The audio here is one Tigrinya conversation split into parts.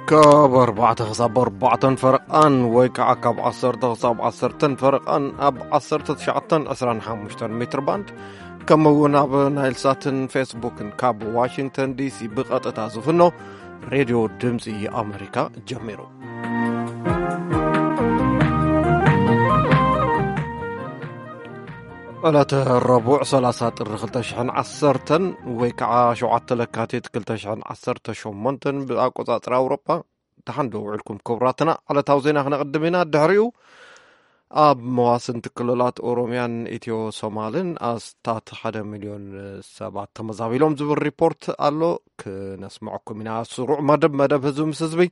ካብ ኣርባዕተ ክሳብ ኣርባዕተን ፈረቓን ወይ ከዓ ካብ ዓሰርተ ክሳብ ዓሰርተን ፈረቓን ኣብ ዓሰርተ ትሽዓተን ዕስራን ሓሙሽተን ሜትር ባንድ፣ ከምኡ እውን ኣብ ናይል ሳትን ፌስቡክን ካብ ዋሽንግተን ዲሲ ብቐጥታ ዝፍኖ ሬድዮ ድምፂ ኣሜሪካ ጀሚሩ። ዕለተ ረቡዕ ሰላሳ ጥሪ ክልተ ሽሕን ዓሰርተን ወይ ከዓ ሸውዓተ ለካቲት ክልተ ሽሕን ዓሰርተ ሸሞንተን ብኣቆፃፅራ ኣውሮጳ። ደሓን ዶ ውዕልኩም ክቡራትና? ዕለታዊ ዜና ክነቕድም ኢና። ድሕሪኡ ኣብ መዋስንቲ ክልላት ኦሮሚያን ኢትዮ ሶማልን ኣስታት ሓደ ሚልዮን ሰባት ተመዛቢሎም ዝብል ሪፖርት ኣሎ። ክነስምዐኩም ኢና። ስሩዕ መደብ፣ መደብ ህዝቢ ምስ ህዝቢ፣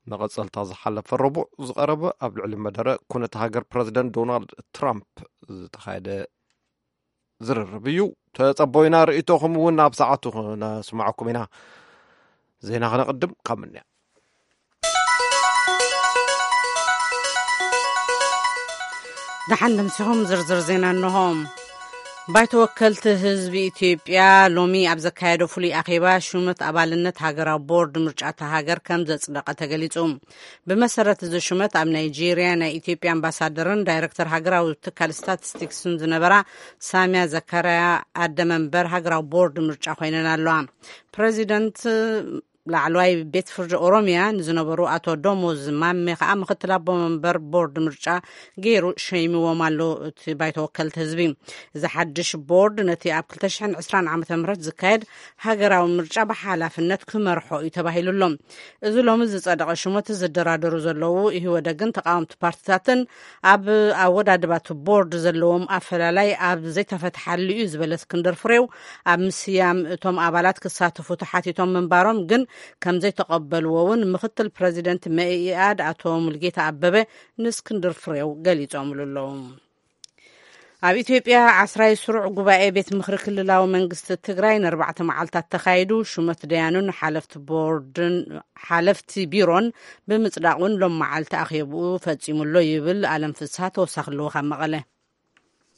መቐጸልታ ዝሓለፈ ረቡዕ ዝቐረበ ኣብ ልዕሊ መደረ ኩነተ ሃገር ፕረዚደንት ዶናልድ ትራምፕ ዝተኻየደ ዝርርብ እዩ። ተጸቦ ኢና። ርእይቶኹም እውን ኣብ ሰዓቱ ክነስምዐኩም ኢና። ዜና ክነቕድም ካብ ምንያ። ደሓን ደምሲኹም ዝርዝር ዜና እንሆ። ባይቶ ወከልቲ ህዝቢ ኢትዮጵያ ሎሚ ኣብ ዘካየዶ ፍሉይ ኣኼባ ሹመት ኣባልነት ሃገራዊ ቦርድ ምርጫ እታ ሃገር ከም ዘጽደቐ ተገሊጹ። ብመሰረት እዚ ሹመት ኣብ ናይጄርያ ናይ ኢትዮጵያ ኣምባሳደርን ዳይሬክተር ሃገራዊ ትካል ስታቲስቲክስን ዝነበራ ሳሚያ ዘካርያ ኣደ መንበር ሃገራዊ ቦርድ ምርጫ ኮይነን ኣለዋ። ፕረዚደንት ላዕለዋይ ቤት ፍርዲ ኦሮሚያ ንዝነበሩ ኣቶ ደሞዝ ማሜ ከዓ ምክትል ኣቦ መንበር ቦርድ ምርጫ ገይሩ ሸይምዎም ኣሎ እቲ ባይቶ ወከልቲ ህዝቢ። እዚ ሓድሽ ቦርድ ነቲ ኣብ ክልተ ሽሕን ዕስራን ዓመተ ምህረት ዝካየድ ሃገራዊ ምርጫ ብሓላፍነት ክመርሖ እዩ ተባሂሉ ኣሎ። እዚ ሎሚ ዝጸደቐ ሽሞት ዝደራደሩ ዘለዉ ኢህወደግን ተቃወምቲ ፓርቲታትን ኣብ ኣወዳድባ እቲ ቦርድ ዘለዎም ኣፈላላይ ኣብ ዘይተፈትሓሉ እዩ ዝበለ እስክንድር ፍሬው፣ ኣብ ምስያም እቶም ኣባላት ክሳተፉ ተሓቲቶም ምንባሮም ግን ከም ዘይተቐበልዎ እውን ምክትል ፕረዚደንት መኢኣድ ኣቶ ሙልጌታ ኣበበ ንእስክንድር ፍሬው ገሊጾምሉ ኣለዉ። ኣብ ኢትዮጵያ ዓስራይ ስሩዕ ጉባኤ ቤት ምኽሪ ክልላዊ መንግስቲ ትግራይ ንኣርባዕተ መዓልታት ተኻይዱ፣ ሹመት ደያኑን ሓለፍቲ ቦርድን ሓለፍቲ ቢሮን ብምጽዳቕ እውን ሎም መዓልቲ ኣኼብኡ ፈጺሙ ኣሎ ይብል ኣለም ፍስሃ ተወሳኺ ልኡኽ ኣብ መቐለ።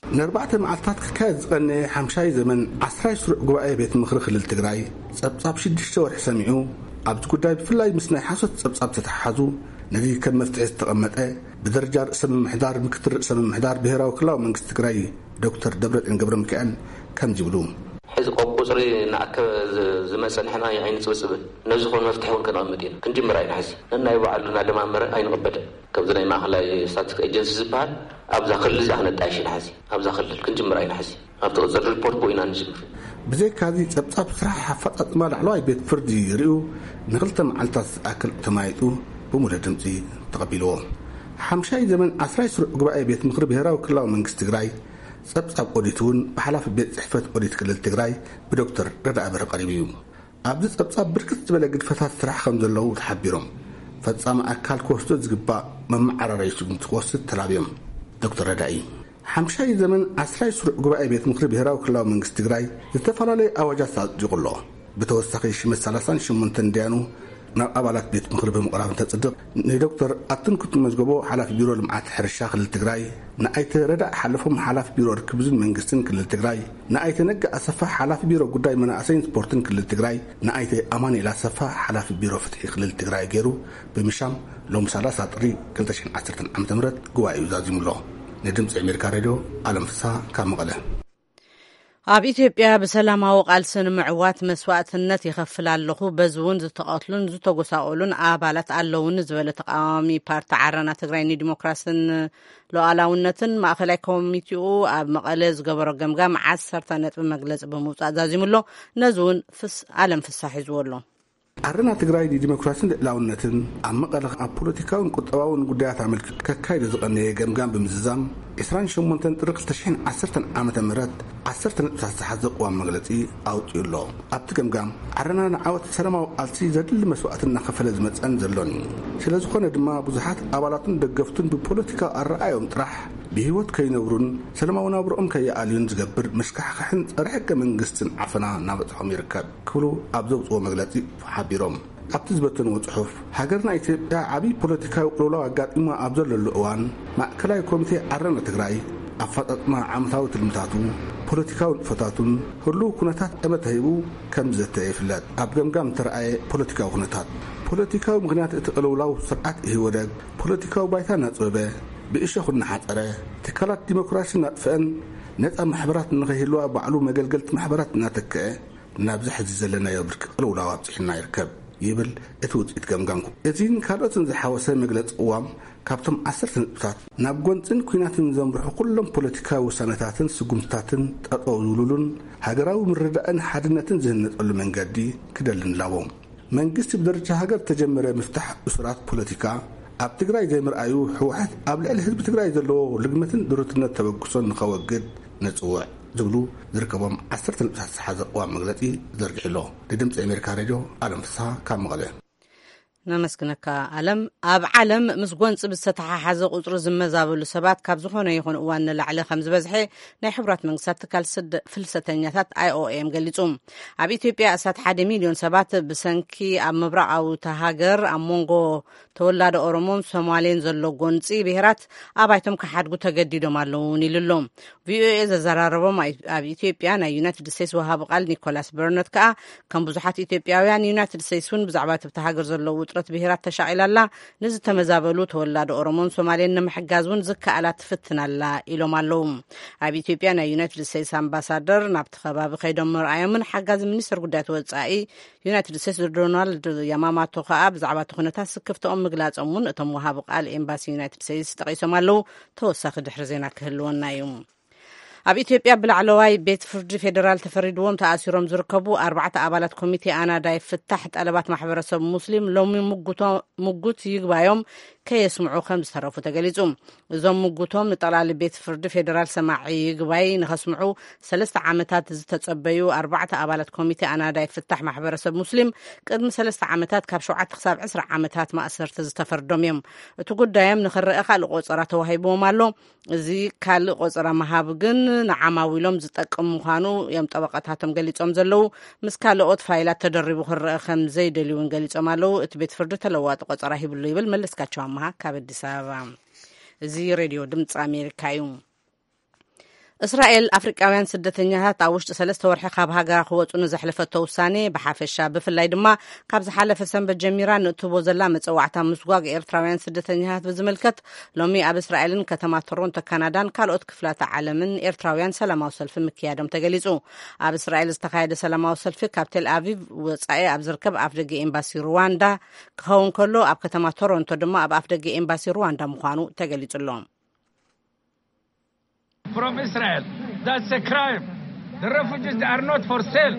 ንኣርባዕተ መዓልታት ክካየድ ዝቐነየ ሓምሻይ ዘመን ዓስራይ ስሩዕ ጉባኤ ቤት ምኽሪ ክልል ትግራይ ጸብጻብ ሽዱሽተ ወርሒ ሰሚዑ፣ ኣብዚ ጉዳይ ብፍላይ ምስ ናይ ሓሶት ጸብጻብ ዝተተሓሓዙ፣ ነዚ ከም መፍትሒ ዝተቐመጠ ብደረጃ ርእሰ ምምሕዳር፣ ምክትል ርእሰ ምምሕዳር ብሄራዊ ክልላዊ መንግስቲ ትግራይ ዶክተር ደብረጽዮን ገብረ ሚካኤል ከምዚ ይብሉ። ሕዚ ቆ-፣ ቁፅሪ እናኣከበ ዝ-፣ ዝመፀ ንሕና ኣይንፅብፅብን። ነዚ ኾን መፍትሒ እውን ከነቐምጥ ኢና። ክንጅምር ኣይንሕዚ። ነናይ ባዕሉ እናደማመረ ኣይንቕበልን። ከምዚ ናይ ማእኸላይ ስታትስቲክስ ኤጀንሲ ዝበሃል ኣብዛ ክልል እዚኣ ክነጣይሽ ኢና ሕዚ። ኣብዛ ክልል ክንጅምር ኣይንሕዚ። ኣብቲ ቅፅል ሪፖርት ብኡ ኢና ንጅምር። ብዘይካዚ ጸብጻብ ስራሕ ኣፈጻጽማ ላዕለዋይ ቤት ፍርዲ ርእዩ ንኽልተ መዓልታት ዝኣክል ተማይጡ ብሙሉእ ድምጺ ተቐቢልዎ። ሓምሻይ ዘመን ዓስራይ ስሩዕ ጉባኤ ቤት ምኽሪ ብሄራዊ ክልላዊ መንግስቲ ትግራይ ጸብጻብ ኦዲት እውን ብሓላፊ ቤት ጽሕፈት ኦዲት ክልል ትግራይ ብዶክተር ረዳኢ በርሀ ቀሪቡ እዩ። ኣብዚ ጸብጻብ ብርክት ዝበለ ግድፈታት ስራሕ ከም ዘለዉ ተሓቢሮም፣ ፈጻሚ ኣካል ክወስዶ ዝግባእ መመዓራረዪ ስጉምቲ ክወስድ ተላብዮም። ዶክተር ረዳኢ፣ ሓምሻይ ዘመን ዓስራይ ስሩዕ ጉባኤ ቤት ምኽሪ ብሄራዊ ክልላዊ መንግስቲ ትግራይ ዝተፈላለዩ ኣዋጃት ኣጽዲቑ ኣሎ። ብተወሳኺ ሽመት ሰላሳን ሸሞንተን ደያኑ ናብ ኣባላት ቤት ምኽሪ ብምቕራብ እንተጽድቕ፣ ንዶክተር ኣትንኩት መዝገቦ ሓላፊ ቢሮ ልምዓት ሕርሻ ክልል ትግራይ፣ ንኣይተ ረዳእ ሓለፎም ሓላፊ ቢሮ ርክብን መንግስትን ክልል ትግራይ፣ ንኣይተ ነጋ ኣሰፋ ሓላፊ ቢሮ ጉዳይ መናእሰይን ስፖርትን ክልል ትግራይ፣ ንኣይተ ኣማኑኤል ኣሰፋ ሓላፊ ቢሮ ፍትሒ ክልል ትግራይ ገይሩ ብምሻም ሎም ሰላሳ ጥሪ ክልተ ሽሕን ዓሰርተን ዓመተ ምህረት ጉባኤኡ ዛዚሙ ኣሎ። ንድምፂ ኣሜሪካ ሬድዮ ኣለም ፍስሃ ካብ መቐለ። ኣብ ኢትዮጵያ ብሰላማዊ ቃልሲ ንምዕዋት መስዋእትነት ይኸፍል ኣለኹ፣ በዚ እውን ዝተቐትሉን ዝተጎሳቆሉን ኣባላት ኣለውኒ ዝበለ ተቃዋሚ ፓርቲ ዓረና ትግራይ ንዲሞክራስን ሉዓላውነትን ማእኸላይ ኮሚቴኡ ኣብ መቐለ ዝገበሮ ገምጋም ዓሰርተ ነጥቢ መግለፂ ብምውፃእ ዛዚሙ ኣሎ። ነዚ እውን ፍስ-፣ ኣለም ፍስሃ ሒዝዎ ኣሎ። ዓረና ትግራይ ንዲሞክራስን ልዕላውነትን ኣብ መቐለ ኣብ ፖለቲካውን ቁጠባውን ጉዳያት ኣመልኪቱ ከካይዶ ዝቐነየ ገምጋም ብምዝዛም፣ ዕስራን ሸሞንተን ጥሪ ክልተ ሽሕን ዓሰርተን ዓመተ ምህረት ዓሰርተ ነጥብታት ዝሓዘ ቅዋም መግለጺ ኣውጺኡ ኣሎ። ኣብቲ ገምጋም፣ ዓረና ንዓወት ሰላማዊ ቃልሲ ዘድሊ መስዋእቲ እናኸፈለ ዝመጸን ዘሎን እዩ። ስለ ዝኾነ ድማ፣ ብዙሓት ኣባላቱን ደገፍቱን ብፖለቲካዊ ኣረኣዮም ጥራሕ ብህይወት ከይነብሩን ሰላማዊ ናብርኦም ከይኣልዩን ዝገብር መስካሕካሕን ጸረ ሕገ መንግስትን ዓፈና እናበጽሖም ይርከብ ክብሉ ኣብ ዘውጽዎ መግለጺ ሓቢሮም። ኣብቲ ዝበተንዎ ጽሑፍ፣ ሃገርና ኢትዮጵያ ዓብዪ ፖለቲካዊ ቅልውላው ኣጋጢማ ኣብ ዘለሉ እዋን፣ ማእከላይ ኮሚቴ ዓረና ትግራይ ኣፈጻጽማ ዓመታዊ ትልምታቱ፣ ፖለቲካዊ ንጥፈታቱን ህሉው ኩነታት ጠመተ ሂቡ ከም ዝዘተ ይፍለጥ። ኣብ ገምጋም እተረኣየ ፖለቲካዊ ኩነታት፣ ፖለቲካዊ ምኽንያት እቲ ቅልውላው ስርዓት ኢህወደግ ፖለቲካዊ ባይታ እናጽበበ፣ ብእሸኹ እናሓጸረ፣ ትካላት ዲሞክራሲ እናጥፍአን ነጻ ማሕበራት ንኸይህልዋ ባዕሉ መገልገልቲ ማሕበራት እናተክአ፣ ናብዚ ሕዚ ዘለናዮ ብርቂ ቅልውላው ኣብጺሑና ይርከብ ይብል እቲ ውጽኢት ገምጋም። እዚን ካልኦትን ዝሓወሰ መግለጺ ቅዋም ካብቶም ዓሰርተ ነጥብታት፣ ናብ ጎንጽን ኲናትን ዘምርሑ ኩሎም ፖለቲካዊ ውሳነታትን ስጉምትታትን ጠጠው ዝብሉሉን ሃገራዊ ምርዳእን ሓድነትን ዝህነጸሉ መንገዲ ክደልን ኣለዎ። መንግስቲ ብደረጃ ሃገር ተጀመረ ምፍታሕ እሱራት ፖለቲካ ኣብ ትግራይ ዘይምርኣዩ ህወሓት ኣብ ልዕሊ ህዝቢ ትግራይ ዘለዎ ልግመትን ድሩትነት ተበግሶን ንኸወግድ ንጽውዕ ዝብሉ ዝርከቦም ዓሰርተ ነጥብታት ዝሓዘ ቅዋም መግለጺ ዘርጊሑ ኣሎ። ንድምፂ ኣሜሪካ ሬድዮ ኣለም ፍስሃ ካብ መቐለ። ነመስግነካ ኣለም። ኣብ ዓለም ምስ ጎንፂ ብዝተተሓሓዘ ቁፅሪ ዝመዛበሉ ሰባት ካብ ዝኾነ ይኹን እዋን ንላዕሊ ከም ዝበዝሐ ናይ ሕቡራት መንግስታት ትካል ስደ-፣ ፍልሰተኛታት ኣይ ኦ ኤም ገሊጹ። ኣብ ኢትዮጵያ ኣስታት ሓደ ሚልዮን ሰባት ብሰንኪ ኣብ ምብራቓዊ እታ ሃገር ኣብ መንጎ ተወላዶ ኦሮሞን ሶማሌን ዘሎ ጎንፂ ብሄራት ኣባይቶም ክሓድጉ ተገዲዶም ኣለዉ እውን ኢሉ ኣሎ። ቪ ኦ ኤ ዘዘራረቦም ኣይ-፣ ኣብ ኢትዮጵያ ናይ ዩናይትድ ስቴትስ ወሃቢ ቃል ኒኮላስ በርነት ከኣ ከም ብዙሓት ኢትዮጵያውያን ዩናይትድ ስቴትስ እውን ብዛዕባ እቲ ኣብታ ሃገር ዘሎ ውጥረት ብሄራት ተሻቒላ ኣላ፣ ንዝተመዛበሉ ተወላዶ ኦሮሞን ሶማሌን ንምሕጋዝ እውን ዝከኣላ ትፍትን ኣላ ኢሎም ኣለዉ። ኣብ ኢትዮጵያ ናይ ዩናይትድ ስቴትስ ኣምባሳደር ናብቲ ከባቢ ከይዶም ምርኣዮምን ሓጋዚ ሚኒስትር ጉዳያት ወጻኢ ዩናይትድ ስቴትስ ዶናልድ ያማማቶ ከኣ ብዛዕባ እቲ ኩነታት ስክፍትኦም ምግላጾም እውን እቶም ወሃቢ ቃል ኤምባሲ ዩናይትድ ስቴትስ ጠቒሶም ኣለዉ። ተወሳኺ ድሕሪ ዜና ክህልወና እዩ። ኣብ ኢትዮጵያ ብላዕለዋይ ቤት ፍርዲ ፌዴራል ተፈሪድዎም ተኣሲሮም ዝርከቡ ኣርባዕተ ኣባላት ኮሚቴ ኣናዳይ ፍታሕ ጠለባት ማሕበረሰብ ሙስሊም ሎሚ ምጉቶ-፣ ምጉት ይግባዮም ከየስምዑ ከም ዝተረፉ ተገሊጹ። እዞም ምጉቶም ንጠቕላሊ ቤት ፍርዲ ፌዴራል ሰማዒ ይግባይ ንኸስምዑ ሰለስተ ዓመታት ዝተጸበዩ ኣርባዕተ ኣባላት ኮሚቴ ኣናዳይ ፍታሕ ማሕበረሰብ ሙስሊም ቅድሚ ሰለስተ ዓመታት ካብ ሸውዓተ ክሳብ ዕስራ ዓመታት ማእሰርቲ ዝተፈርዶም እዮም። እቲ ጉዳዮም ንኽረአ ካልእ ቆጸራ ተዋሂብዎም ኣሎ። እዚ ካልእ ቆጸራ ምሃብ ግን ንዓማዊሎም ዝጠቅም ምዃኑ እዮም ጠበቃታቶም ገሊጾም ዘለዉ። ምስ ካልኦት ፋይላት ተደሪቡ ክረአ ከም ዘይደልዩ እውን ገሊጾም ኣለዉ። እቲ ቤት ፍርዲ ተለዋጢ ቆጸራ ሂብሉ ይብል መለስካቸው ኣምሃ ካብ ኣዲስ ኣበባ። እዚ ሬድዮ ድምፂ ኣሜሪካ እዩ። እስራኤል ኣፍሪቃውያን ስደተኛታት ኣብ ውሽጢ ሰለስተ ወርሒ ካብ ሃገራ ክወፁ ንዘሕለፈቶ ውሳኔ ብሓፈሻ፣ ብፍላይ ድማ ካብ ዝሓለፈ ሰንበት ጀሚራ ንእትህቦ ዘላ መፀዋዕታ ምስጓግ ኤርትራውያን ስደተኛታት ብዝምልከት ሎሚ ኣብ እስራኤልን ከተማ ቶሮንቶ ካናዳን ካልኦት ክፍላተ ዓለምን ኤርትራውያን ሰላማዊ ሰልፊ ምክያዶም ተገሊጹ። ኣብ እስራኤል ዝተኻየደ ሰላማዊ ሰልፊ ካብ ቴል ኣቪቭ ወጻኢ ኣብ ዝርከብ ኣፍደገ ኤምባሲ ሩዋንዳ ክኸውን ከሎ፣ ኣብ ከተማ ቶሮንቶ ድማ ኣብ ኣፍደገ ኤምባሲ ሩዋንዳ ምዃኑ ተገሊጹ ኣሎ። From Israel. That's a crime. The refugees, they are not for sale.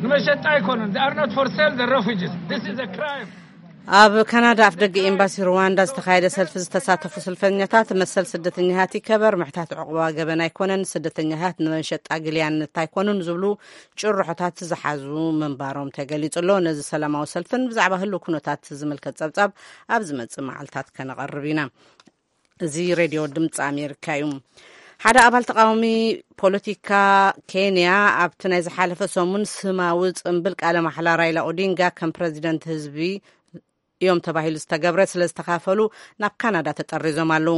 ንመሸጣ ኣይኮኑን። They are not for sale, the refugees. This is a crime. ኣብ ካናዳ ኣፍደገ ኤምባሲ ሩዋንዳ ዝተኻየደ ሰልፊ ዝተሳተፉ ሰልፈኛታት፣ መሰል ስደተኛታት ይከበር፣ ምሕታት ዕቑባ ገበን ኣይኮነን፣ ስደተኛታት ንመሸጣ ግልያነት ኣይኮኑን ዝብሉ ጭርሖታት ዝሓዙ ምንባሮም ተገሊጹ ኣሎ። ነዚ ሰላማዊ ሰልፍን ብዛዕባ ህሉው ኩነታት ዝምልከት ጸብጻብ ኣብ ዝመጽእ መዓልታት ከነቐርብ ኢና። እዚ ሬድዮ ድምፂ ኣሜሪካ እዩ። ሓደ ኣባል ተቃዋሚ ፖለቲካ ኬንያ ኣብቲ ናይ ዝሓለፈ ሰሙን ስማዊ ጽምብል ቃለ ማሕላ ራይላ ኦዲንጋ ከም ፕረዚደንት ህዝቢ እዮም ተባሂሉ ዝተገብረ ስለ ዝተኻፈሉ ናብ ካናዳ ተጠሪዞም ኣለዉ።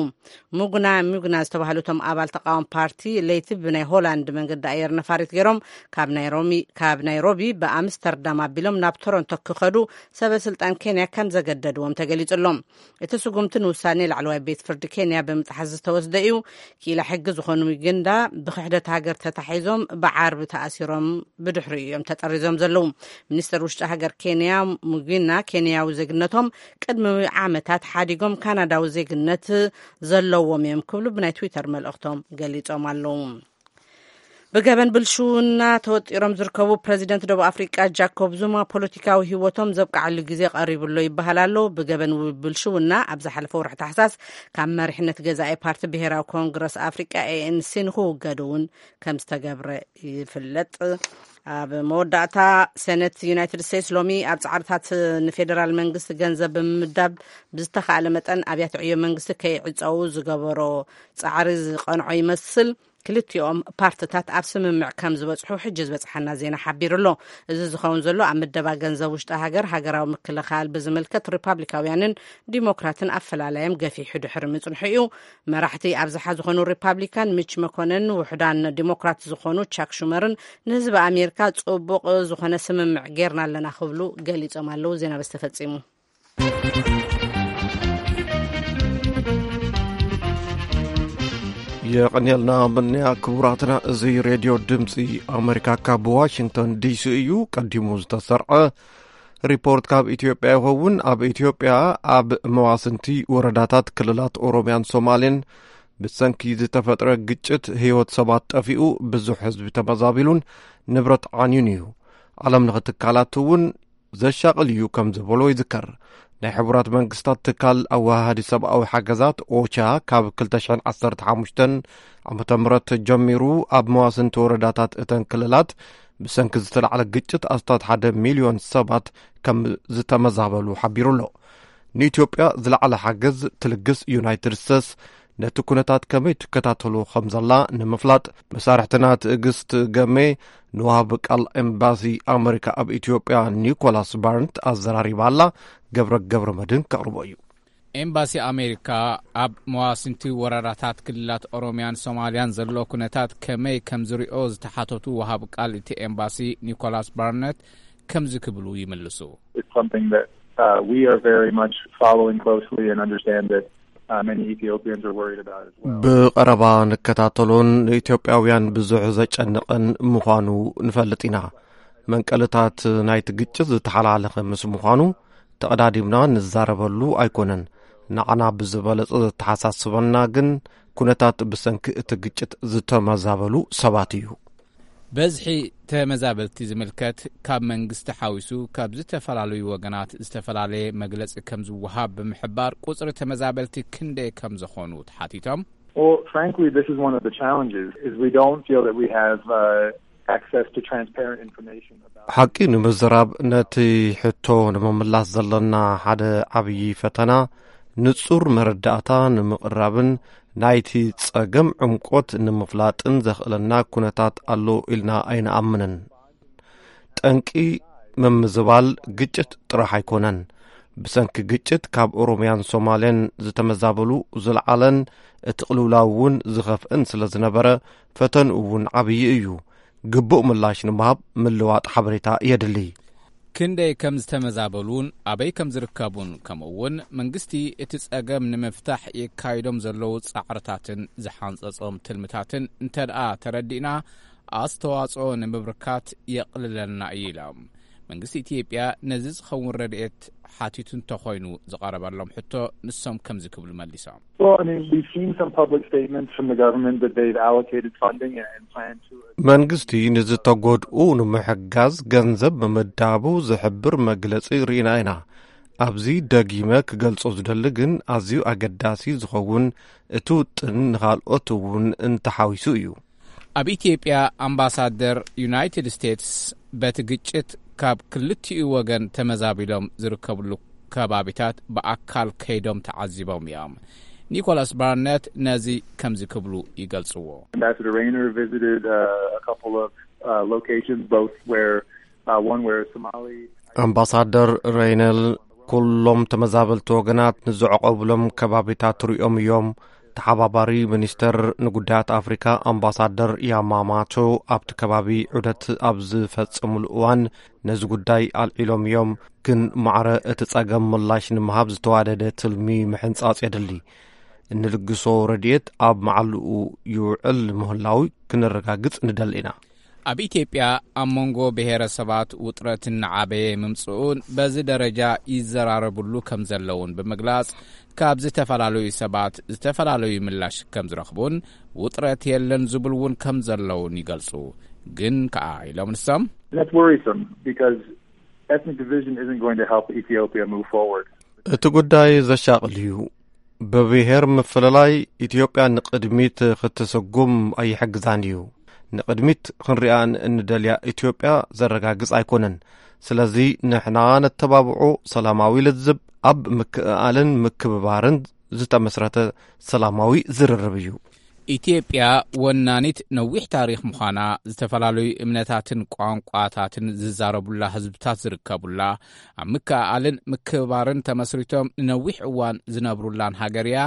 ሙግና ሙግና ዝተባህሉ እቶም ኣባል ተቃዋሚ ፓርቲ ለይቲ ብናይ ሆላንድ መንገዲ ኣየር ነፋሪት ገይሮም ካብ ናይ ሮሚ-፣ ካብ ናይሮቢ ብኣምስተርዳም ኣቢሎም ናብ ቶሮንቶ ክኸዱ ሰበ ስልጣን ኬንያ ከም ዘገደድዎም ተገሊጹ ኣሎ። እቲ ስጉምቲ ንውሳኔ ላዕለዋይ ቤት ፍርዲ ኬንያ ብምጥሓስ ዝተወስደ እዩ። ክኢላ ሕጊ ዝኾኑ ሚግንዳ ብክሕደት ሃገር ተታሒዞም ብዓርቢ ተኣሲሮም ብድሕሪኡ እዮም ተጠሪዞም ዘለዉ። ሚኒስተር ውሽጢ ሃገር ኬንያ ሙጊና ኬንያዊ ዜግነቶም ቅድሚ ዓመታት ሓዲጎም ካናዳዊ ዜግነት ዘለዎም እዮም ክብሉ ብናይ ትዊተር መልእኽቶም ገሊጾም ኣለዉ። ብገበን ብልሽውና ተወጢሮም ዝርከቡ ፕረዚደንት ደቡብ ኣፍሪቃ ጃኮብ ዙማ ፖለቲካዊ ህይወቶም ዘብቅዓሉ ግዜ ቀሪቡ ኣሎ ይበሃል ኣሎ። ብገበን ብልሽውና ኣብ ዝሓለፈ ወርሒ ታሕሳስ ካብ መሪሕነት ገዛኢ ፓርቲ ብሄራዊ ኮንግረስ ኣፍሪቃ ኤ ኤን ሲ ንክውገዱ እውን ከም ዝተገብረ ይፍለጥ። ኣብ መወዳእታ፣ ሴኔት ዩናይትድ ስቴትስ ሎሚ ኣብ ጻዕርታት ንፌዴራል መንግስቲ ገንዘብ ብምምዳብ ብዝተኻእለ መጠን ኣብያተ ዕዮ መንግስቲ ከይዕጸዉ ዝገበሮ ጻዕሪ ዝቐንዖ ይመስል። ክልቲኦም ፓርትታት ኣብ ስምምዕ ከም ዝበጽሑ ሕጂ ዝበጽሓና ዜና ሓቢሩ ኣሎ። እዚ ዝኸውን ዘሎ ኣብ ምደባ ገንዘብ ውሽጢ ሃገር ሃገራዊ ምክልኻል ብዝምልከት ሪፓብሊካውያንን ዲሞክራትን ኣፈላላዮም ገፊሑ ድሕሪ ምጽንሑ እዩ። መራሕቲ ኣብዝሓ ዝኾኑ ሪፓብሊካን ሚች መኮነን፣ ውሑዳን ዲሞክራት ዝኾኑ ቻክ ሹመርን ንህዝቢ ኣሜሪካ ጽቡቕ ዝኾነ ስምምዕ ጌርና ኣለና ክብሉ ገሊጾም ኣለዉ። ዜና በዚ ተፈጺሙ። የቐንየልና ምንያ ክቡራትና። እዚ ሬድዮ ድምፂ ኣሜሪካ ካብ ዋሽንግተን ዲሲ እዩ። ቀዲሙ ዝተሰርዐ ሪፖርት ካብ ኢትዮጵያ ይኸውን። ኣብ ኢትዮጵያ ኣብ መዋስንቲ ወረዳታት ክልላት ኦሮሚያን ሶማሌን ብሰንኪ ዝተፈጥረ ግጭት ህይወት ሰባት ጠፊኡ፣ ብዙሕ ህዝቢ ተመዛቢሉን ንብረት ዓንዩን እዩ። ዓለም ለኸ ትካላት እውን ዘሻቕል እዩ ከም ዝበሎ ይዝከር። ናይ ሕቡራት መንግስታት ትካል ኣወሃሃዲ ሰብኣዊ ሓገዛት ኦቻ ካብ ክልተ ሽሕን ዓሰርተ ሓሙሽተን ዓመተ ምህረት ጀሚሩ ኣብ መዋስንቲ ወረዳታት እተን ክልላት ብሰንኪ ዝተላዕለ ግጭት ኣስታት ሓደ ሚልዮን ሰባት ከም ዝተመዛበሉ ሓቢሩ ኣሎ። ንኢትዮጵያ ዝለዓለ ሓገዝ ትልግስ ዩናይትድ ስቴትስ ነቲ ኩነታት ከመይ ትከታተሎ ከም ዘላ ንምፍላጥ፣ መሳርሕትና ትዕግስት ገሜ ንወሃቢ ቃል ኤምባሲ ኣመሪካ ኣብ ኢትዮጵያ ኒኮላስ ባርንት ኣዘራሪባ ኣላ። ገብረ ገብረ መድህን ከቕርቦ እዩ። ኤምባሲ ኣሜሪካ ኣብ መዋስንቲ ወረዳታት ክልላት ኦሮሚያን ሶማሊያን ዘሎ ኩነታት ከመይ ከም ዝሪኦ ዝተሓተቱ ወሃቢ ቃል እቲ ኤምባሲ ኒኮላስ ባርነት ከምዚ ክብሉ ይምልሱ። It's something that uh, we are very much following closely and understand that uh, many Ethiopians are worried about as well. ብቐረባ ንከታተሎን ንኢትዮጵያውያን ብዙሕ ዘጨንቕን ምዃኑ ንፈልጥ ኢና። መንቀልታት ናይቲ ግጭት ዝተሓላለኸ ምስ ምዃኑ ተቐዳዲምና ንዛረበሉ ኣይኮነን። ንዓና ብዝበለጸ ዘተሓሳስበና ግን ኩነታት ብሰንኪ እቲ ግጭት ዝተመዛበሉ ሰባት እዩ። በዝሒ ተመዛበልቲ ዝምልከት ካብ መንግስቲ ሓዊሱ ካብ ዝተፈላለዩ ወገናት ዝተፈላለየ መግለጺ ከም ዝወሃብ ብምሕባር፣ ቁጽሪ ተመዛበልቲ ክንደይ ከም ዝኾኑ ተሓቲቶም። Well, frankly, this is one of the challenges, is we don't feel that we have uh, access to transparent information about ሓቂ ንምዝራብ፣ ነቲ ሕቶ ንምምላስ ዘለና ሓደ ዓብዪ ፈተና ንጹር መረዳእታ ንምቕራብን ናይቲ ጸገም ዕምቆት ንምፍላጥን ዘኽእለና ኩነታት ኣሎ ኢልና ኣይንኣምንን። ጠንቂ ምምዝባል ግጭት ጥራሕ ኣይኮነን። ብሰንኪ ግጭት ካብ ኦሮምያን ሶማልያን ዝተመዛበሉ ዝለዓለን እቲ ቅልውላው እውን ዝኸፍእን ስለ ዝነበረ፣ ፈተንኡ እውን ዓብዪ እዩ። ግቡእ ምላሽ ንምሃብ ምልዋጥ ሓበሬታ የድሊ። ክንደይ ከም ዝተመዛበሉን ኣበይ ከም ዝርከቡን፣ ከምኡ እውን መንግስቲ እቲ ጸገም ንምፍታሕ የካይዶም ዘለዉ ጻዕርታትን ዝሓንጸጾም ትልምታትን እንተ ደኣ ተረዲእና፣ ኣስተዋጽኦ ንምብርካት የቕልለልና እዩ ኢሎም። መንግስቲ ኢትዮጵያ ነዚ ዝኸውን ረድኤት ሓቲቱ እንተኾይኑ፣ ዝቐረበሎም ሕቶ ንሶም ከምዚ ክብሉ መሊሶም። Well, I mean, we've seen some public statements from the government that they've allocated funding and, and plan to መንግስቲ ንዝተጎድኡ ንምሕጋዝ ገንዘብ ምምዳቡ ዝሕብር መግለጺ ርኢና ኢና። ኣብዚ ደጊመ ክገልጾ ዝደሊ ግን ኣዝዩ ኣገዳሲ ዝኸውን እቲ ውጥን ንኻልኦት እውን እንተሓዊሱ እዩ። ኣብ ኢትዮጵያ ኣምባሳደር ዩናይትድ ስቴትስ በቲ ግጭት ካብ ክልቲኡ ወገን ተመዛቢሎም ዝርከብሉ ከባቢታት ብኣካል ከይዶም ተዓዚቦም እዮም። ኒኮላስ ባርነት ነዚ ከምዚ ክብሉ ይገልጽዎ። Ambassador Rayner visited uh, a couple of uh, locations, both where uh, one where Somali ኣምባሳደር ሬይነል ኩሎም ተመዛበልቲ ወገናት ንዝዕቆብሎም ከባቢታት ሪኦም እዮም። ተሓባባሪ ሚኒስተር ንጉዳያት ኣፍሪካ ኣምባሳደር ያማማቶ ኣብቲ ከባቢ ዑደት ኣብ ዝፈጸሙሉ እዋን ነዚ ጉዳይ ኣልዒሎም እዮም። ግን ማዕረ እቲ ጸገም ምላሽ ንምሃብ ዝተዋደደ ትልሚ ምሕንጻጽ የድሊ። እንልግሶ ረድኤት ኣብ መዓልኡ ይውዕል ምህላው ክነረጋግጽ ንደሊ ኢና። ኣብ ኢትዮጵያ ኣብ መንጎ ብሔረሰባት ውጥረት እናዓበየ ምምጽኡን በዚ ደረጃ ይዘራረብሉ ከም ዘለውን ብምግላጽ፣ ካብ ዝተፈላለዩ ሰባት ዝተፈላለዩ ምላሽ ከም ዝረኽቡን ውጥረት የለን ዝብሉ እውን ከም ዘለውን ይገልጹ። ግን ከኣ ኢሎም ንሶም And that's worrisome because ethnic division isn't going to help Ethiopia move forward. እቲ ጉዳይ ዘሻቕል እዩ። ብብሔር ምፍልላይ ኢትዮጵያ ንቕድሚት ክትስጉም ኣይሕግዛን እዩ። ንቕድሚት ክንሪኣ እንደልያ ኢትዮጵያ ዘረጋግጽ ኣይኮነን። ስለዚ ንሕና ነተባብዖ ሰላማዊ ልዝብ ኣብ ምክእኣልን ምክብባርን ዝተመስረተ ሰላማዊ ዝርርብ እዩ። ኢትዮጵያ ወናኒት ነዊሕ ታሪኽ ምዃና፣ ዝተፈላለዩ እምነታትን ቋንቋታትን ዝዛረቡላ ህዝብታት ዝርከቡላ፣ ኣብ ምክእኣልን ምክብባርን ተመስሪቶም ንነዊሕ እዋን ዝነብሩላን ሃገር እያ።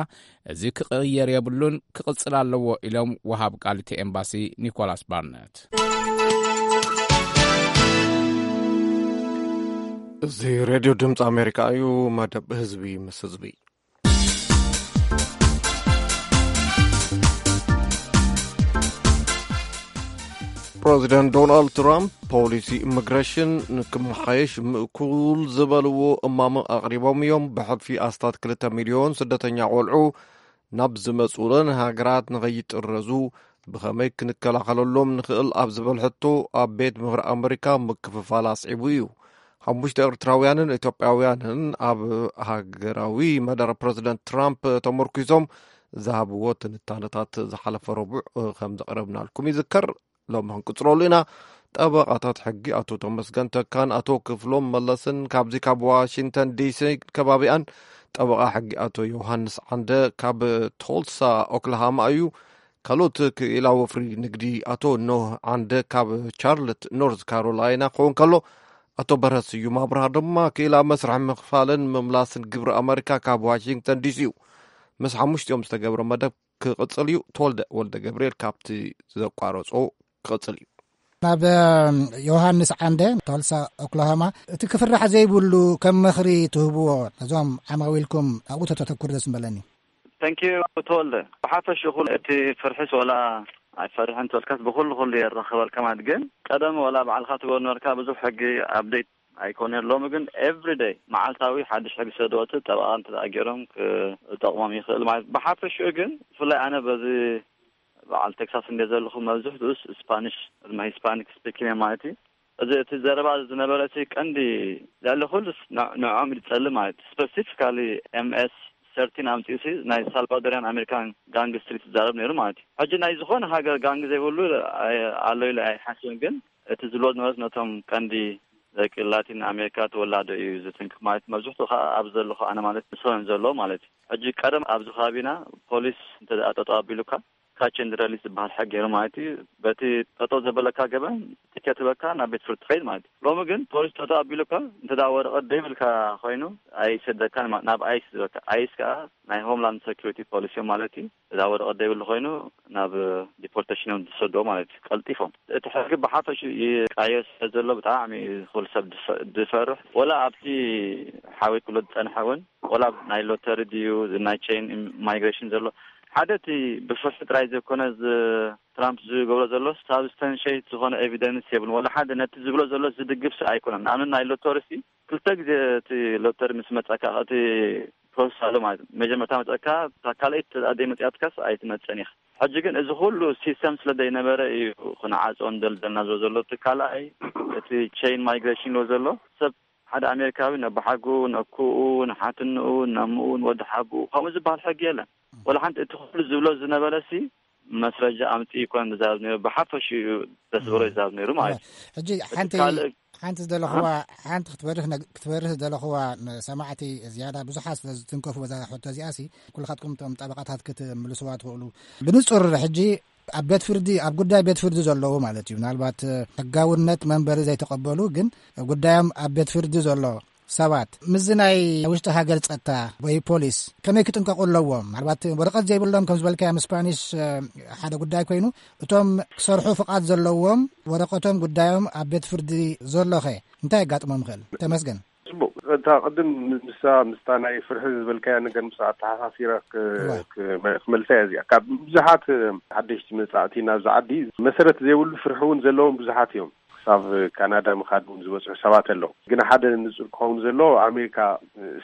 እዚ ክቕየር የብሉን፣ ክቕጽል ኣለዎ ኢሎም ወሃብ ቃል እቲ ኤምባሲ ኒኮላስ ባርነት። እዚ ሬድዮ ድምፂ ኣሜሪካ እዩ። መደብ ህዝቢ ምስ ህዝቢ። ፕረዚደንት ዶናልድ ትራምፕ ፖሊሲ ኢሚግሬሽን ንክመሓየሽ ምእኩል ዝበልዎ እማመ ኣቕሪቦም እዮም። ብሕልፊ ኣስታት ክልተ ሚልዮን ስደተኛ ቆልዑ ናብ ዝመጽኡለን ሃገራት ንኸይጥረዙ ብኸመይ ክንከላኸለሎም ንኽእል ኣብ ዝበል ሕቶ፣ ኣብ ቤት ምኽሪ ኣመሪካ ምክፍፋል ኣስዒቡ እዩ። ሓሙሽተ ኤርትራውያንን ኢትዮጵያውያንን ኣብ ሃገራዊ መደረ ፕረዚደንት ትራምፕ ተመርኲሶም ዝሃብዎ ትንታነታት ዝሓለፈ ረቡዕ ከም ዘቕረብናልኩም ይዝከር። ሎሚ ክንቅጽለሉ ኢና። ጠበቓታት ሕጊ ኣቶ ተመስገን ተካን ኣቶ ክፍሎም መለስን ካብዚ ካብ ዋሽንግተን ዲሲ ከባቢኣን፣ ጠበቓ ሕጊ ኣቶ ዮሃንስ ዓንደ ካብ ቶልሳ ኦክላሃማ እዩ። ካልኦት ክኢላ ወፍሪ ንግዲ ኣቶ ኖህ ዓንደ ካብ ቻርለት ኖርዝ ካሮላይና ክኸውን ከሎ፣ ኣቶ በረስ ስዩም ኣብርሃ ድማ ክኢላ መስርሕ ምኽፋልን ምምላስን ግብሪ ኣመሪካ ካብ ዋሽንግተን ዲሲ እዩ። ምስ ሓሙሽቲኦም ዝተገብረ መደብ ክቕጽል እዩ። ተወልደ ወልደ ገብርኤል ካብቲ ዘቋረጾ ክቕጽል እዩ። ናብ ዮሃንስ ዓንደ፣ ቶልሳ ኦክላሆማ፣ እቲ ክፍራሕ ዘይብሉ ከም ምኽሪ ትህብዎ ነዞም ዓማዊልኩም ኣብኡ ተተተኩር ደስ ምበለኒ። ተንኪዩ ተወልደ። ብሓፈሽኡ እቲ ፍርሒስ ወላ ኣይፈርሕን ተልካስ ብኹሉ ኩሉ የራኽበልካ ማለት ግን ቀደም ወላ ባዕልካ ትገብሮ ነበርካ ብዙሕ ሕጊ ኣፕዴት ኣይኮነ ሎሚ ግን ኤቭሪደይ መዓልታዊ ሓድሽ ሕጊ ሰደወቲ ጠበቓ እንተ ገይሮም ክጠቕሞም ይኽእል ማለት ብሓፈሽኡ ግን ብፍላይ ኣነ በዚ በዓል ቴክሳስ እንደ ዘለኹ መብዝሕትኡስ ስፓኒሽ ድማ ሂስፓኒክ ስፒኪንግ ማለት እዩ። እዚ እቲ ዘረባ ዝነበረ እቲ ቀንዲ ልዕሊ ኩሉስ ንዕኦም ይጸልእ ማለት ስፐሲፊካሊ ኤምኤስ ሰርቲን ኣምጺኡ ሲ ናይ ሳልቫዶሪያን ኣሜሪካን ጋንግ ስትሪት ዝዛረብ ነይሩ ማለት እዩ። ሕጂ ናይ ዝኾነ ሃገር ጋንግ ዘይብሉ ኣሎ ኢለ ኣይሓስብን፣ ግን እቲ ዝብሎ ዝነበረ ነቶም ቀንዲ ደቂ ላቲን ኣሜሪካ ተወላዶ እዩ ዝትንክፍ ማለት መብዝሕትኡ ከዓ ኣብ ዘለኹ ኣነ ማለት ንሶን ዘሎ ማለት እዩ። ሕጂ ቀደም ኣብዚ ከባቢና ፖሊስ እንተ ጠጠው ኣቢሉካ ካች ኤንድ ረሊስ ዝበሃል ሕጊ ነይሩ ማለት እዩ። በቲ ጠጠው ዘበለካ ገበን ቲኬት በካ ናብ ቤት ፍርዲ ትኸይድ ማለት እዩ። ሎሚ ግን ፖሊስ ጠጠው ኣቢሉካ እንተ ወረቐት ደይብልካ ኮይኑ ኣይሰደካን ናብ ኣይስ ዝበካ ኣይስ ከዓ ናይ ሆምላንድ ሴኩሪቲ ፖሊሲ እዮም ማለት እዩ። እዛ ወረቐት ደይብሉ ኮይኑ ናብ ዲፖርቴሽን እዮም ዝሰዶ ማለት እዩ። ቀልጢፎም እቲ ሕጊ ብሓፈሽ ይቃየር ስለ ዘሎ ብጣዕሚ ኩሉ ሰብ ዝፈርሕ ወላ ኣብቲ ሓዊ ክሎ ዝፀንሐ እውን ቆላብ ናይ ሎተሪ ድዩ ናይ ቼን ማይግሬሽን ዘሎ ሓደ እቲ ብፍርሒ ጥራይ ዘይኮነ ትራምፕ ዝገብሮ ዘሎ ሳብስተንሽት ዝኾነ ኤቪደንስ የብሉን ወላ ሓደ ነቲ ዝብሎ ዘሎ ዝድግፍ ሲ ኣይኮነን። ንኣብነት ናይ ሎተሪ ሲ ክልተ ግዜ እቲ ሎተሪ ምስ መፀካ እቲ ፕሮሰስ ኣሎ ማለት መጀመርታ መፀካ ካልኣይ ተዛደይ መፅያትካስ ኣይትመፀን ኢኻ። ሕጂ ግን እዚ ኩሉ ሲስተም ስለ ዘይነበረ እዩ ክንዓፆ እንደልደልና ዝሎ ዘሎ እቲ ካልኣይ እቲ ቼን ማይግሬሽን ሎ ዘሎ ሰብ ሓደ ኣሜሪካዊ ነቦሓጉ ነኩኡ ንሓትንኡ ነምኡ ንወዲ ሓጉ ከምኡ ዝበሃል ሕጊ የለን። ወላ ሓንቲ እቲ ኩሉ ዝብሎ ዝነበረ ሲ መስረጃ ኣምፂ ይኮን ዝዛረብ ነይሩ ብሓፈሽ እዩ ተስብሮ ይዛረብ ነይሩ ማለት እዩ። ሕጂ ሓንቲ ካልእ ሓንቲ ዝደለኹዋ ሓንቲ ክትበርህ ነግ- ክትበርህ ዝደለኹዋ ንሰማዕቲ ዝያዳ ብዙሓት ስለ ዝትንከፉ በዛ ሕቶ እዚኣ ሲ ኩልኻትኩም እቶም ጠበቃታት ክትምልስዋ ትኽእሉ። ብንጹር ሕጂ ኣብ ቤት ፍርዲ ኣብ ጉዳይ ቤት ፍርዲ ዘለዉ ማለት እዩ ምናልባት ሕጋውነት መንበሪ ዘይተቐበሉ ግን ጉዳዮም ኣብ ቤት ፍርዲ ዘሎ ሰባት ምስዚ ናይ ውሽጢ ሃገር ጸጥታ ወይ ፖሊስ ከመይ ክጥንቀቑ ኣለዎም? ምናልባት ወረቐት ዘይብሎም ከም ዝበልካዮም ስፓኒሽ ሓደ ጉዳይ ኮይኑ እቶም ክሰርሑ ፍቓድ ዘለዎም ወረቐቶም ጉዳዮም ኣብ ቤት ፍርዲ ዘሎኸ እንታይ የጋጥሞም ይኽእል? ተመስገን። ጽቡቕ። እታ ቅድም ንሳ ምስታ ናይ ፍርሒ ዝበልካያ ነገር ምስ ኣተሓሳሲረ ክ- እዋ። ክ- ክመልሳ እያ እዚኣ። ካብ ብዙሓት ሓደሽቲ መጻእቲ ናብዚ ዓዲ መሰረት ዘይብሉ ፍርሒ እውን ዘለዎም ብዙሓት እዮም። ክሳብ ካናዳ ምኻድ እውን ዝበጽሑ ሰባት ኣለዉ። ግን ሓደ ንጹር ክኸውን ዘለዎ ኣሜሪካ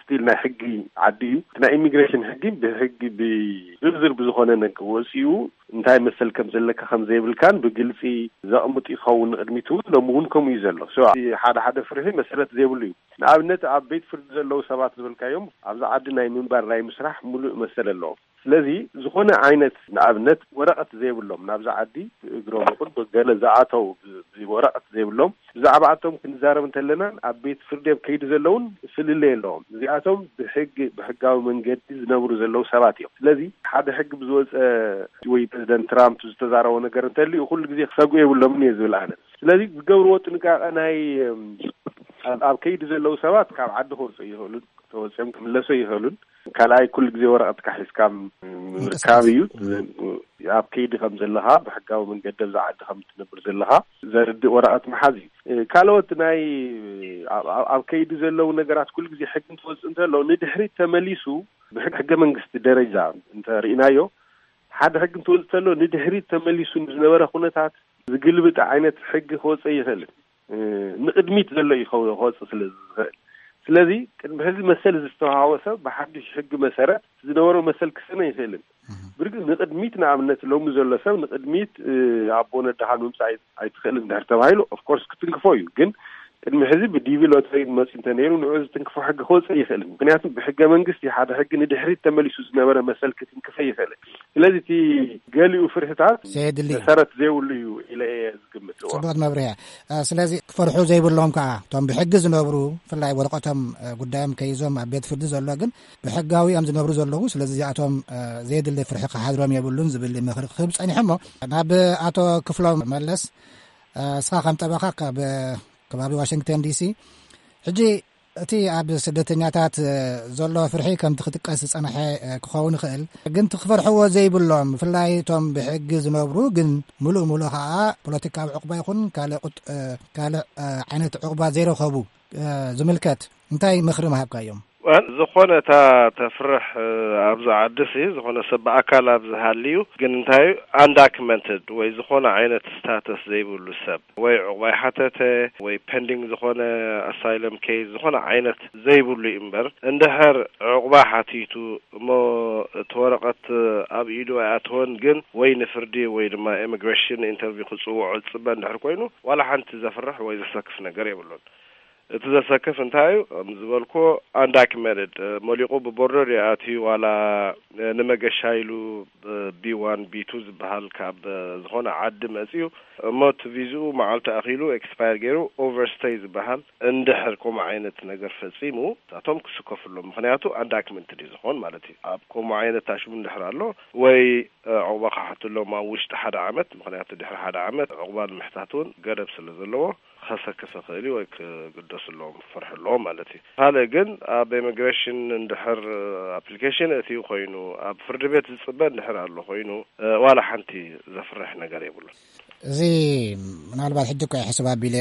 ስቲል ናይ ሕጊ ዓዲ እዩ። እቲ ናይ ኢሚግሬሽን ሕጊ ብሕጊ ብዝርዝር ብዝኾነ ነገር ወጺኡ እንታይ መሰል ከም ዘለካ ከም ዘይብልካን ብግልጺ ዘቕምጥ ይኸውን። ንቕድሚት እውን ሎሚ እውን ከምኡ እዩ ዘሎ። ሶ ሓደ ሓደ ፍርሒ መሰረት ዘይብሉ እዩ። ንኣብነት ኣብ ቤት ፍርዲ ዘለዉ ሰባት ዝበልካዮም ኣብዚ ዓዲ ናይ ምንባር ናይ ምስራሕ ሙሉእ መሰል ኣለዎም። ስለዚ ዝኾነ ዓይነት ንኣብነት ወረቐት ዘይብሎም ናብዛ ዓዲ ብእግሮም ይኹን ብገለ ዝኣተው ብ- ብወረቐት ዘይብሎም ብዛዕባኣቶም ክንዛረብ እንተለና ኣብ ቤት ፍርዲ ኣብ ከይዲ ዘለውን ፍልልይ ኣለዎም። እዚኣቶም ብሕጊ ብሕጋዊ መንገዲ ዝነብሩ ዘለዉ ሰባት እዮም። ስለዚ ሓደ ሕጊ ብዝወፀ ወይ ፕሬዚደንት ትራምፕ ዝተዛረቦ ነገር እንተልዩ ኩሉ ግዜ ክሰግኡ የብሎምን እየ ዝብል ኣነ። ስለዚ ዝገብርዎ ጥንቃቐ ናይ እም፣ ኣብ ኣብ ከይዲ ዘለዉ ሰባት ካብ ዓዲ ክወፁ ይኽእሉን ተወፂኦም ክምለሱ ይኽእሉን። ካልኣይ ኩሉ ግዜ ወረቐትካ ሒዝካ ምርካብ እዩ። ኣብ ከይዲ ከም ዘለኻ ብሕጋዊ መንገዲ ኣብዛ ዓዲ ከም ትነብር ዘለኻ ዘርድእ ወረቐት ምሓዝ እዩ። ካልኦት ናይ ኣብ- ኣብ- ኣብ ከይዲ ዘለዉ ነገራት ኩሉ ግዜ ሕጊ እንትወፅእ እንተሎ ንድሕሪት ተመሊሱ ብሕገ መንግስቲ ደረጃ እንተርኢናዮ ሓደ ሕጊ እንትወፅእ እንተሎ ንድሕሪት ተመሊሱ ንዝነበረ ኩነታት ዝግልብጥ ዓይነት ሕጊ ክወፀ ይኽእል። ንቕድሚት ዘሎ እዩ ክወፅእ ስለ ዝኽእል። ስለዚ ቅድሚ ሕዚ መሰል ዝተዋሃቦ ሰብ ብሓዱሽ ሕጊ መሰረት ዝነበሮ መሰል ክስነ ይኽእልን ብርግፅ ንቕድሚት ንኣብነት ሎሚ ዘሎ ሰብ ንቕድሚት ኣቦ ነዳኻ ንምምፃእ ኣይትኽእልን ድሕር ተባሂሉ ኦፍኮርስ ክትንክፎ እዩ። ግን ቅድሚ ሕዚ ብዲቪ ሎተሪ መፂ እንተነይሩ ንዑ ዝትንክፎ ሕጊ ክወፅእ ይኽእልን። ምክንያቱ ብሕገ መንግስቲ ሓደ ሕጊ ንድሕሪት ተመሊሱ ዝነበረ መሰል ክትንክፈ ይኽእልን። ስለዚ እቲ ገሊኡ ፍርሕታት ዘየድሊ መሰረት ዘይብሉ እዩ ኢለ እየ ዝግምት። እዎ። ጽቡቕት መብርያ። ስለዚ ክፈርሑ ዘይብሎም ከዓ እቶም ብሕጊ ዝነብሩ ብፍላይ ወረቐቶም ጉዳዮም ከይዞም ኣብ ቤት ፍርዲ ዘሎ ግን ብሕጋዊ እዮም ዝነብሩ ዘለዉ። ስለዚ እዚኣቶም ዘየድሊ ፍርሒ ክሓድሮም የብሉን ዝብል ምኽሪ ክህብ ጸኒሑ። እሞ ናብ ኣቶ ክፍሎም መለስ፣ እስኻ ከም ጠበኻ ካብ ከባቢ ዋሽንግተን ዲሲ ሕጂ እቲ ኣብ ስደተኛታት ዘሎ ፍርሒ ከምቲ ክጥቀስ ዝጸንሐ ክኸውን ይኽእል፣ ግን እቲ ክፈርሕዎ ዘይብሎም ብፍላይ እቶም ብሕጊ ዝነብሩ ግን ምሉእ ምሉእ ከኣ ፖለቲካዊ ዕቑባ ይኹን ካልእ ቁጥ- ካልእ ዓይነት ዕቑባ ዘይረኸቡ ዝምልከት እንታይ ምኽሪ ምሃብካዮም? ዝኾነ እታ ተፍርሕ ኣብዚ ዓዲ ሲ ዝኾነ ሰብ ብኣካል ኣብ ዝሃልዩ ግን እንታይ undocumented ወይ ዝኾነ ዓይነት ስታተስ ዘይብሉ ሰብ ወይ ዕቑባ ይሓተተ ወይ ፐንዲንግ ዝኾነ ኣሳይለም ኬስ ዝኾነ ዓይነት ዘይብሉ እዩ እምበር እንድሕር ዕቑባ ሓቲቱ እሞ እቲ ወረቐት ኣብ ኢዱ ኣይኣተወን ግን ወይ ንፍርዲ ወይ ድማ ኢሚግሬሽን ኢንተርቪው ክፅውዖ ዝፅበ እንድሕር ኮይኑ ዋላ ሓንቲ ዘፍርሕ ወይ ዘሰክፍ ነገር የብሉን። እቲ ዘሰክፍ እንታይ እዩ? ከም ዝበልኩ undocumented መሊቑ ብቦርደር ይኣትዩ ዋላ ንመገሻ ኢሉ ቢ ዋን ቢ ቱ ዝበሃል ካብ ዝኾነ ዓዲ መፅዩ እሞ እቲ ቪዝኡ መዓልቲ ኣኺሉ ኤክስፓየር ገይሩ ኦቨርስቴይ ዝበሃል እንድሕር ከምኡ ዓይነት ነገር ፈፂሙ እሳቶም ክስከፉሎም ምክንያቱ undocumented እዩ ዝኾን ማለት እዩ። ኣብ ከምኡ ዓይነት ታሽሙ እንድሕር ኣሎ ወይ ዕቑባ ክሓትሎም ኣብ ውሽጢ ሓደ ዓመት ምክንያቱ ድሕሪ ሓደ ዓመት ዕቑባ ንምሕታት እውን ገደብ ስለ ዘለዎ ከሰክፍ ይኽእል እዩ ወይ ክግደሱ ኣለዎም ክፈርሑ ኣለዎም ማለት እዩ። ካልእ ግን ኣብ ኢሚግሬሽን እንድሕር ኣፕሊኬሽን እትዩ ኮይኑ ኣብ ፍርዲ ቤት ዝፅበ እንድሕር ኣሎ ኮይኑ ዋላ ሓንቲ ዘፍርሕ ነገር የብሉን። እዚ ምናልባት ሕጂ እኮ ሕስብ ኣቢለ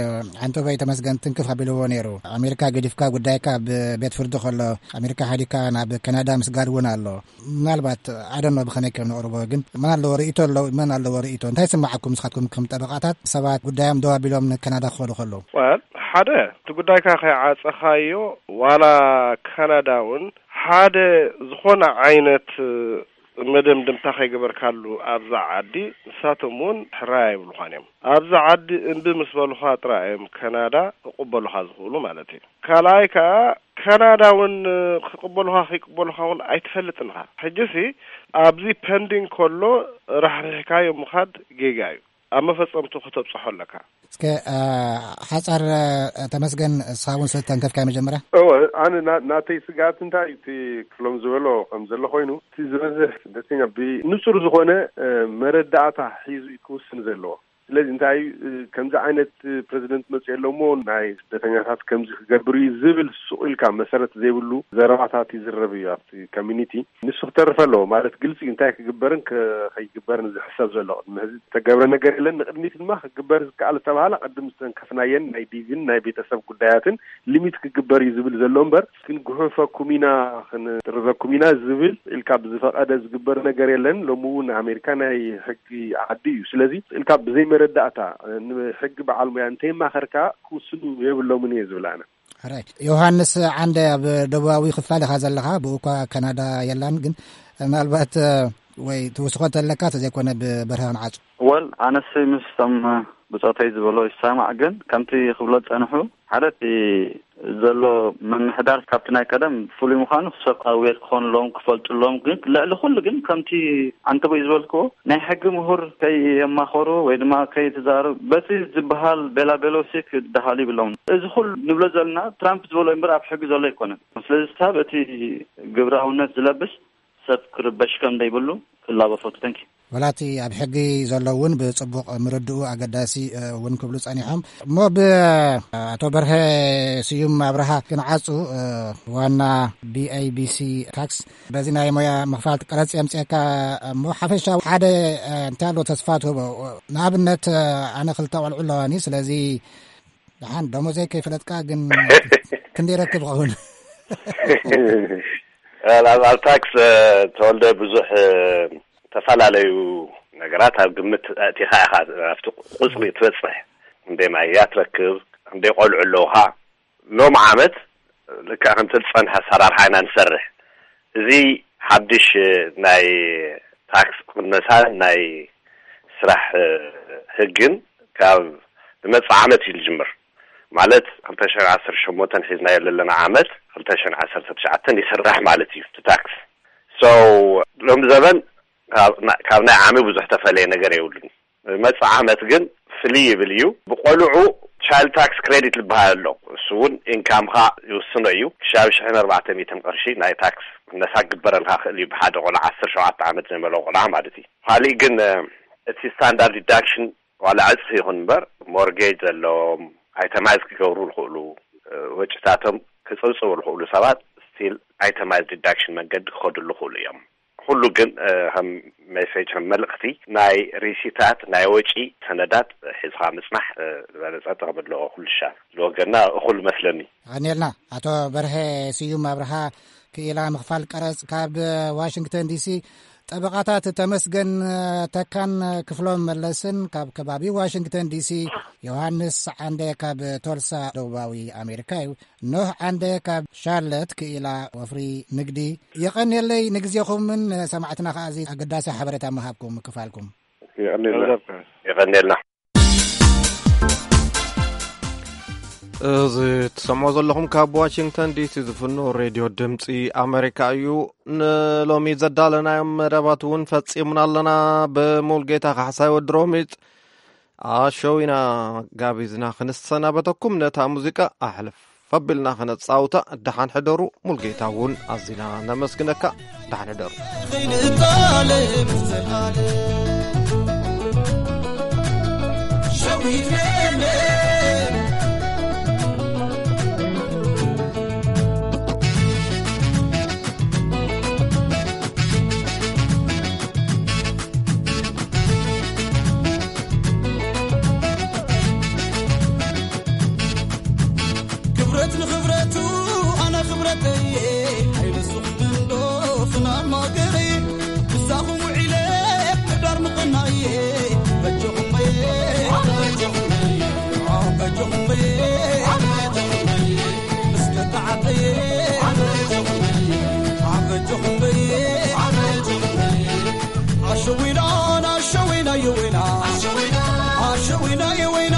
ዓንተቦይ ተመስገን ትንክፍ ኣቢልዎ ነይሩ። ኣሜሪካ ገዲፍካ ጉዳይካ ኣብ ቤት ፍርዲ ከሎ ኣሜሪካ ሓዲካ ናብ ካናዳ ምስጋድ እውን ኣሎ። ምናልባት ኣደኖ ብኸመይ ከም ነቕርቦ ግን መን ኣለዎ ርእይቶ ኣለዎ መን ኣለዎ ርእይቶ እንታይ ስምዓኩም ንስኻትኩም ከም ጠበቓታት ሰባት ጉዳዮም ደው ኣቢሎም ንካናዳ ክኸዱ ከለዉ? ወል ሓደ እቲ ጉዳይካ ከይዓፀኻዮ ዋላ ካናዳ እውን ሓደ ዝኾነ ዓይነት መደምድምታ ከይገበርካሉ ኣብዛ ዓዲ ንሳቶም እውን ሕራይ ኣይብሉኻን እዮም። ኣብዛ ዓዲ እምቢ ምስ በሉኻ ጥራይ እዮም ካናዳ ክቕበሉኻ ዝኽእሉ ማለት እዩ። ካልኣይ ከዓ ካናዳ እውን ክቕበሉኻ ከይቅበሉኻ እውን ኣይትፈልጥን ኢኻ። ሕጂሲ ኣብዚ ፐንዲንግ ከሎ ራሕሪሕካዮ ምኻድ ጌጋ እዩ። ኣብ መፈጸምቱ ክተብጽሖ ኣለካ። እስከ ሓጻር ተመስገን እስኻ እውን ስለ ተንከፍካዮ መጀመርያ። እወ ኣነ ናተይ ስግኣት እንታይ እዩ እቲ ክፍሎም ዝበሎ ከም ዘሎ ኮይኑ እቲ ዝበዝሕ ስደተኛ ብንጹር ዝኾነ መረዳእታ ሒዙ እዩ ክውስን ዘለዎ። ስለዚ እንታይ ከምዚ ዓይነት ፕረዚደንት መፅኡ ኣሎ እሞ ናይ ስደተኛታት ከምዚ ክገብር እዩ ዝብል ሱቕ ኢልካ መሰረት ዘይብሉ ዘረባታት ይዝረብ እዩ ኣብቲ ኮሚኒቲ። ንሱ ክተርፍ ኣለዎ ማለት ግልፂ እንታይ ክግበርን ከይግበርን ዝሕሰብ ዘሎ ቅድሚ ሕዚ ዝተገብረ ነገር የለን። ንቅድሚት ድማ ክግበር ዝከኣል ዝተባሃለ ቅድም ዝተንከፍናየን ናይ ዲቪን ናይ ቤተሰብ ጉዳያትን ሊሚት ክግበር እዩ ዝብል ዘሎ እምበር ግን ጉሑፈኩም ኢና ክንጥርዘኩም ኢና ዝብል ኢልካ ብዝፈቐደ ዝግበር ነገር የለን። ሎሚ እውን ኣሜሪካ ናይ ሕጊ ዓዲ እዩ። ስለዚ ኢልካ ብዘይ መረዳእታ ንሕጊ በዓል ሙያ እንተይማኸርካ ክውስኑ የብሎምን እየ ዝብል ኣነ። ሕራይ ዮሃንስ ዓንደ ኣብ ደቡባዊ ክፋል ኢኻ ዘለኻ ብኡ እኳ ካናዳ የላን ግን ምናልባት ወይ ትውስኾ እንተለካ ተዘይኮነ ብበርሀ ክንዓጹ። ወል ኣነስ ምስቶም ብፆተይ ዝበሎ ይሰማዕ ግን ከምቲ ክብሎ ዝፀንሑ ሓደ እቲ ዘሎ ምምሕዳር ካብቲ ናይ ቀደም ፍሉይ ምዃኑ ሰብ ኣዌር ክኾንሎም ክፈልጡሎም፣ ግን ልዕሊ ኩሉ ግን ከምቲ ኣንተቦይ ዝበልክዎ ናይ ሕጊ ምሁር ከየማኸሩ ወይ ድማ ከይተዛረቡ በቲ ዝበሃል ቤላ ቤሎሲ ክደሃሉ ይብሎም። እዚ ኩሉ ንብሎ ዘለና ትራምፕ ዝበሎ እምበር ኣብ ሕጊ ዘሎ ኣይኮነን። ስለዚ ሳብ እቲ ግብራውነት ዝለብስ ሰብ ክርበሽ ከም ዘይብሉ ክላቦ ፈቱ። ተንኪ። ወላቲ ኣብ ሕጊ ዘሎ እውን ብጽቡቕ ምርድኡ ኣገዳሲ እውን ክብሉ ጸኒሖም። እሞ ብኣቶ በርሀ ስዩም ኣብርሃ ክንዓጹ፣ ዋና ቢኣይቢሲ ታክስ፣ በዚ ናይ ሞያ ምኽፋል ቀረጽ የምጽኤካ። እሞ ሓፈሻ ሓደ እንታይ ኣሎ ተስፋ ትህቦ? ንኣብነት ኣነ ክልተ ቆልዑ ኣለዋኒ። ስለዚ ደሓን ደሞዘይ ከይፈለጥካ ግን ክንደይ ረክብ ኸውን? ኣብ ኣብ ታክስ ተወልደ ብዙሕ ዝተፈላለዩ ነገራት ኣብ ግምት ኣእቲኻ ኢኻ ኣብቲ ቁፅሪ ትበፅሕ። ክንደይ ማያ ትረክብ፣ ክንደይ ቆልዑ ኣለውኻ። ሎም ዓመት ልክዕ ከምቲ ዝፀንሐ ኣሰራርሓ ኢና ንሰርሕ። እዚ ሓድሽ ናይ ታክስ ቅነሳ ናይ ስራሕ ህግን ካብ ዝመፅእ ዓመት እዩ ዝጅምር። ማለት ክልተ ሽሕን ዓሰርተ ሸሞንተን ሒዝናዮ ዘለና ዓመት ክልተ ሽሕን ዓሰርተ ትሽዓተን ይስራሕ ማለት እዩ እቲ ታክስ። So ሎም ዘበን ካብ ናይ ዓሚ ብዙሕ ተፈለየ ነገር የብሉን። መፅእ ዓመት ግን ፍልይ ይብል እዩ። ብቆልዑ ቻይልድ ታክስ ክሬዲት ዝበሃል ኣሎ። እሱ እውን ኢንካምካ ይውስኖ እዩ። ክሻብ ሽሕን ኣርባዕተ ሚእትን ቅርሺ ናይ ታክስ ነሳ ክግበረልካ ክእል እዩ፣ ብሓደ ቆልዓ ዓሰርተ ሸውዓተ ዓመት ዘይመልኦ ቆልዓ ማለት እዩ። ካሊእ ግን እቲ ስታንዳርድ ዲዳክሽን ዋላ ዕፅፊ ይኹን እምበር ሞርጌጅ ዘለዎም ኣይተማይዝ ክገብሩ ዝኽእሉ ወጭታቶም ክፅብፅቡ ዝኽእሉ ሰባት ስቲል ኣይተማይዝ ዲዳክሽን መንገዲ ክኸድሉ ይኽእሉ እዮም። ኩሉ ግን ከም ሜሴጅ ከም መልእኽቲ ናይ ሪሲታት ናይ ወጪ ሰነዳት ሒዝኻ ምፅናሕ ዝበለፀ ጥቕሚ ኣለዎ። ኩሉ ሻ ዝወገና እኹል መስለኒ። ኣኔልና ኣቶ በርሀ ስዩም ኣብርሃ ክኢላ ምኽፋል ቀረጽ ካብ ዋሽንግተን ዲሲ፣ ጠበቓታት ተመስገን ተካን ክፍሎም መለስን ካብ ከባቢ ዋሽንግተን ዲሲ፣ ዮሃንስ ዓንደ ካብ ቶልሳ ደቡባዊ ኣሜሪካ እዩ። ኖህ ዓንደ ካብ ሻርለት ክኢላ ወፍሪ ንግዲ። የቐንየለይ ንግዜኹምን ሰማዕትና ከኣ እዚ ኣገዳሲ ሓበሬታ ምሃብኩም ምክፋልኩም። የቐንየልና። እዚ ትሰምዑ ዘለኹም ካብ ዋሽንግተን ዲሲ ዝፍኖ ሬድዮ ድምፂ ኣሜሪካ እዩ። ንሎሚ ዘዳለናዮም መደባት እውን ፈፂምና ኣለና። ብሙልጌታ ካሕሳይ ወዲ ሮሚጥ ኣሸዊና ጋቢዝና ክንሰናበተኩም ነታ ሙዚቃ ኣሕልፍ ኣቢልና ከነጻውታ። ደሓን ሕደሩ። ሙልጌታ እውን ኣዚና ነመስግነካ። ደሓን ሕደሩ። ክብረት ንኽብረቱ ኣነ ክብረተየ ኣይንስኹምን ዶ ፍናን ማገረየ ምሳኹም ውዒለ ምዳር ምቕናየ በጀኹም በየ በጀኹም በየ በጀኹም በየ ምስ ደቂ ዓደየ በጀኹም በየ በጀኹም በየ ኣሸዊና ኣሸዊና የወይና ኣሸዊና የወይና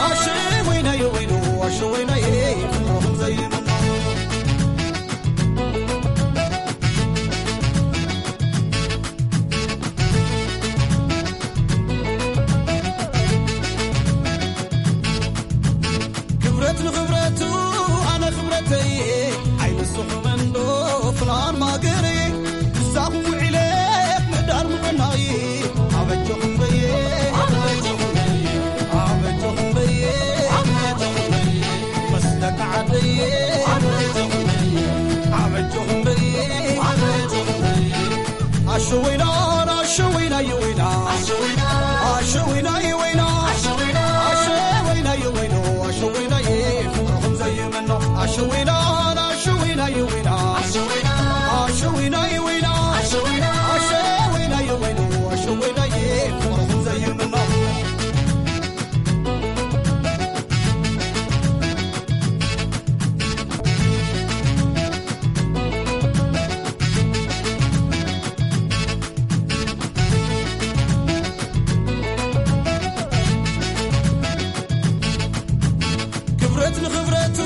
ኣሸዊና የወይኑ ኣሸዊና የፍቅርኹም ዘይምኖ ክብረት ንኽብረቱ ኣነ ክብረተይ ኣይንስኹምን ዶ ፍናን ማገረይ ምሳኹም ውዒለ ምዳር ምቕናይ ኣበጀኹም በየ ኣበጀኹም በየ ኣበጀኹም በየ ምስ ደቂ ዓደየ ኣበጀኹም በየ ኣበጀኹም በየ ኣበጀኹም በየ ኣሸወይና ኣሸወይና የወይና ኣሸወይና የወይና ኣሸወይና የወይኖ ኣሸወይና ፍቅርኹም ዘይምኖ ኣሸወይና ኣሸወይና የወይና ኣሸወይና የወይና ኣሸወይና የወይኖ ኣሸወይና ፍቅርኹም ዘይምኖ ክብረት ንኽብረቱ